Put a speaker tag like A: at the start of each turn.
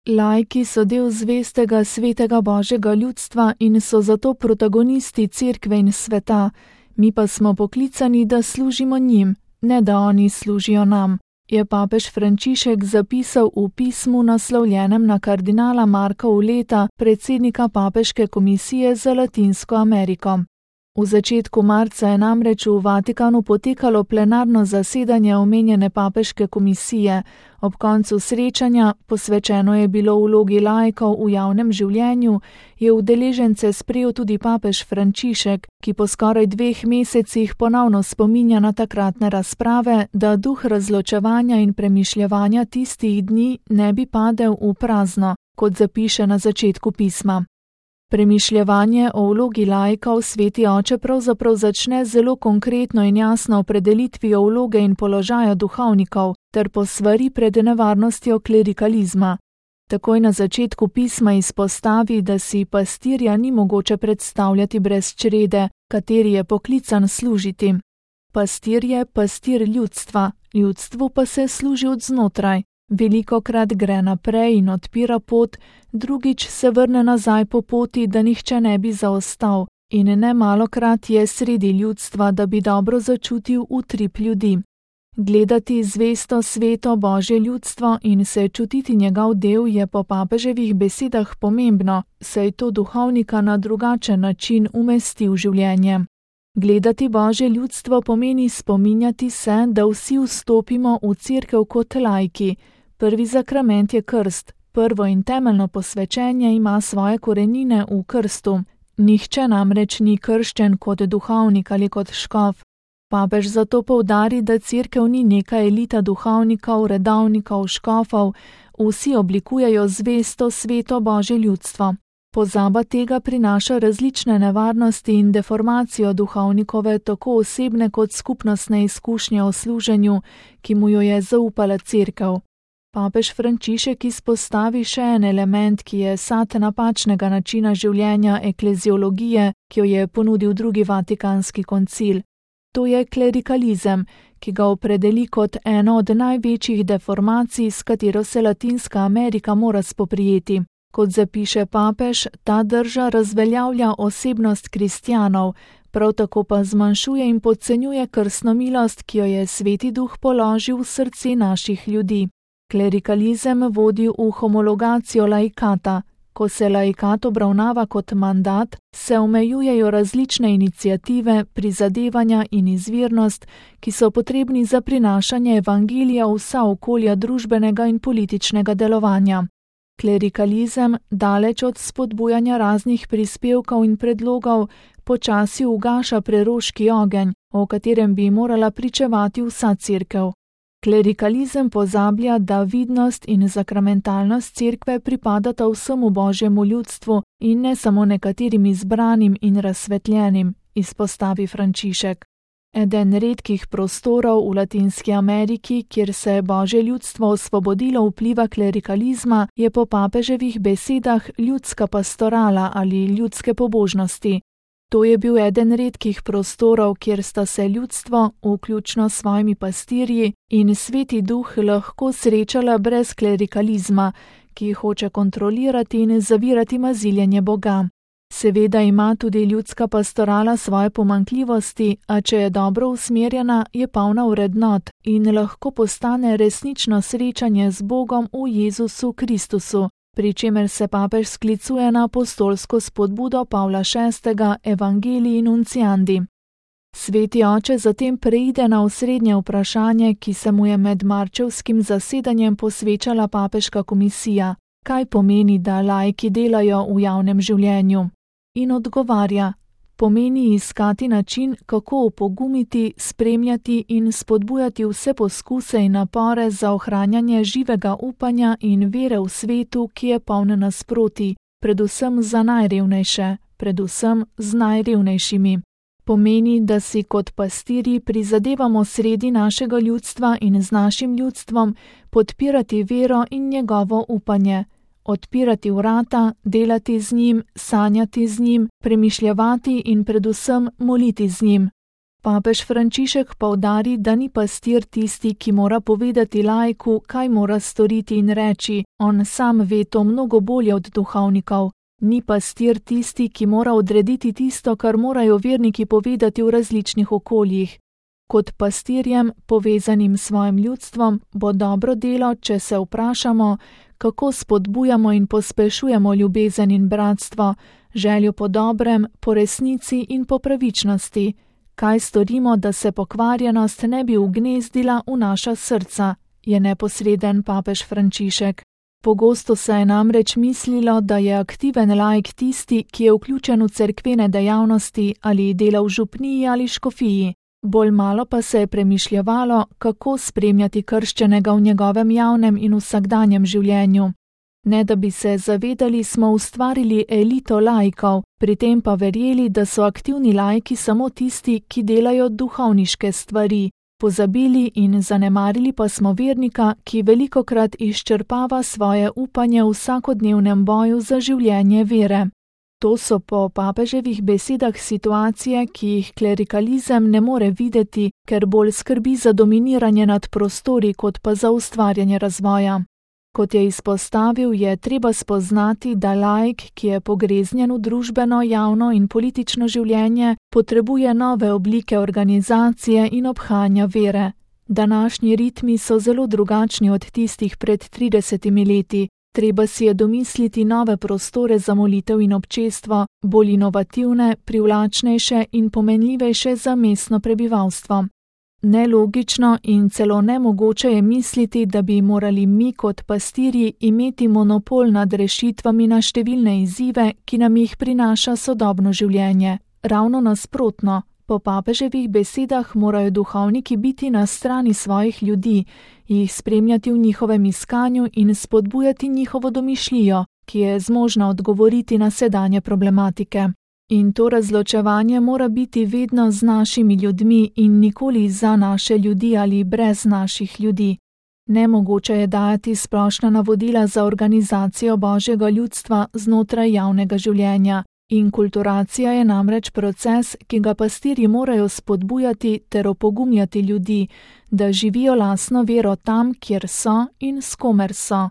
A: Laiki so del zvestega svetega Božjega ljudstva in so zato protagonisti cerkve in sveta, mi pa smo poklicani, da služimo njim, ne da oni služijo nam, je papež Frančišek zapisal v pismu naslovljenem na kardinala Marka Uleta, predsednika Papeške komisije za Latinsko Ameriko. V začetku marca je namreč v Vatikanu potekalo plenarno zasedanje omenjene papeške komisije. Ob koncu srečanja, posvečeno je bilo vlogi laikov v javnem življenju, je udeležence sprejel tudi papež Frančišek, ki po skoraj 2 mesecih ponovno spominja na takratne razprave, da duh razločevanja in premišljevanja tistih dni ne bi padel v prazno, kot zapiše na začetku pisma. Premišljevanje o vlogi laikov sveti oče pravzaprav začne zelo konkretno in jasno opredelitvijo vloge in položaja duhovnikov ter posvari pred nevarnostjo klerikalizma. Takoj na začetku pisma izpostavi, da si pastirja ni mogoče predstavljati brez črede, kateri je poklican služiti. Pastir je pastir ljudstva, ljudstvu pa se služi od znotraj. Velikokrat gre naprej in odpira pot, drugič se vrne nazaj po poti, da nihče ne bi zaostal, in nemalokrat je sredi ljudstva, da bi dobro začutil utrip ljudi. Gledati zvesto sveto Božje ljudstvo in se čutiti njegov del je po papeževih besedah pomembno, saj to duhovnika na drugačen način umesti v življenje. Gledati Božje ljudstvo pomeni spominjati se, da vsi vstopimo v cerkev kot laiki. Prvi zakrament je krst, prvo in temeljno posvečenje ima svoje korenine v krstu. Nihče namreč ni krščen kot duhovnik ali kot škof. Papež zato poudari, da cerkev ni neka elita duhovnikov, redovnikov, škofov, vsi oblikujejo zvesto sveto Božje ljudstvo. Pozaba tega prinaša različne nevarnosti in deformacijo duhovnikove tako osebne kot skupnostne izkušnje o služenju, ki mu jo je zaupala cerkev. Papež Frančišek izpostavi še en element, ki je sad napačnega načina življenja ekleziologije, ki jo je ponudil drugi Vatikanski koncil. To je klerikalizem, ki ga opredeli kot eno od največjih deformacij, s katero se Latinska Amerika mora spoprijeti. Kot zapiše papež, ta drža razveljavlja osebnost kristjanov, prav tako pa zmanjšuje in podcenjuje krstno milost, ki jo je Sveti Duh položil v srce naših ljudi. Klerikalizem vodi v homologacijo laikata. Ko se laikat obravnava kot mandat, se omejujejo različne iniciative, prizadevanja in izvirnost, ki so potrebni za prinašanje evangelija v vsa okolja družbenega in političnega delovanja. Klerikalizem, daleč od spodbujanja raznih prispevkov in predlogov, počasi ugaša preroški ogenj, o katerem bi morala pričevati vsa cerkev. Klerikalizem pozablja, da vidnost in zakramentalnost cerkve pripadata vsemu Božjemu ljudstvu in ne samo nekaterim izbranim in razsvetljenim, izpostavi Frančišek. Eden redkih prostorov v Latinski Ameriki, kjer se je Božje ljudstvo osvobodilo vpliva klerikalizma, je po papeževih besedah ljudska pastorala ali ljudske pobožnosti. To je bil eden redkih prostorov, kjer sta se ljudstvo, vključno s svojimi pastirji, in Sveti Duh lahko srečala brez klerikalizma, ki hoče kontrolirati in zavirati maziljenje Boga. Seveda ima tudi ljudska pastorala svoje pomanjkljivosti, a če je dobro usmerjena, je polna vrednot in lahko postane resnično srečanje z Bogom v Jezusu Kristusu, pri čemer se papež sklicuje na apostolsko spodbudo Pavla VI. Evangelii Nunciandi. Sveti oče zatem preide na osrednje vprašanje, ki se mu je med marčevskim zasedanjem posvečala papeška komisija. Kaj pomeni, da laiki delajo v javnem življenju? In odgovarja, pomeni iskati način, kako opogumiti, spremljati in spodbujati vse poskuse in napore za ohranjanje živega upanja in vere v svetu, ki je poln nasprotij, predvsem za najrevnejše, predvsem z najrevnejšimi. Pomeni, da si kot pastirji prizadevamo sredi našega ljudstva in z našim ljudstvom podpirati vero in njegovo upanje, odpirati vrata, delati z njim, sanjati z njim, premišljevati in predvsem moliti z njim. Papež Frančišek poudari, da ni pastir tisti, ki mora povedati laiku, kaj mora storiti in reči, on sam ve to mnogo bolje od duhovnikov. Ni pastir tisti, ki mora odrediti tisto, kar morajo verniki povedati v različnih okoljih. Kot pastirjem, povezanim s svojim ljudstvom, bo dobro delo, če se vprašamo, kako spodbujamo in pospešujemo ljubezen in bratstvo, željo po dobrem, po resnici in po pravičnosti. Kaj storimo, da se pokvarjenost ne bi ugnezdila v naša srca, je neposreden papež Frančišek. Pogosto se je namreč mislilo, da je aktiven laik tisti, ki je vključen v cerkvene dejavnosti ali dela v župniji ali škofiji. Bolj malo pa se je premišljevalo, kako spremljati krščenega v njegovem javnem in vsakdanjem življenju. Ne da bi se zavedali, smo ustvarili elito laikov, pri tem pa verjeli, da so aktivni laiki samo tisti, ki delajo duhovniške stvari. Pozabili in zanemarili pa smo vernika, ki velikokrat izčrpava svoje upanje v vsakodnevnem boju za življenje vere. To so po papeževih besedah situacije, ki jih klerikalizem ne more videti, ker bolj skrbi za dominiranje nad prostori, kot pa za ustvarjanje razvoja. Kot je izpostavil, je treba spoznati, da laik, ki je pogreznjen v družbeno, javno in politično življenje, potrebuje nove oblike organizacije in obhajanja vere. Današnji ritmi so zelo drugačni od tistih pred 30 leti. Treba si je domisliti nove prostore za molitev in občestvo, bolj inovativne, privlačnejše in pomenljivejše za mestno prebivalstvo. Nelogično in celo nemogoče je misliti, da bi morali mi kot pastirji imeti monopol nad rešitvami na številne izzive, ki nam jih prinaša sodobno življenje. Ravno nasprotno, po papeževih besedah morajo duhovniki biti na strani svojih ljudi, jih spremljati v njihovem iskanju in spodbujati njihovo domišljijo, ki je zmožna odgovoriti na sedanje problematike. In to razločevanje mora biti vedno z našimi ljudmi in nikoli za naše ljudi ali brez naših ljudi. Nemogoče je dajati splošna navodila za organizacijo božjega ljudstva znotraj javnega življenja. Inkulturacija je namreč proces, ki ga pastirji morajo spodbujati ter opogumljati ljudi, da živijo lastno vero tam, kjer so in s komer so.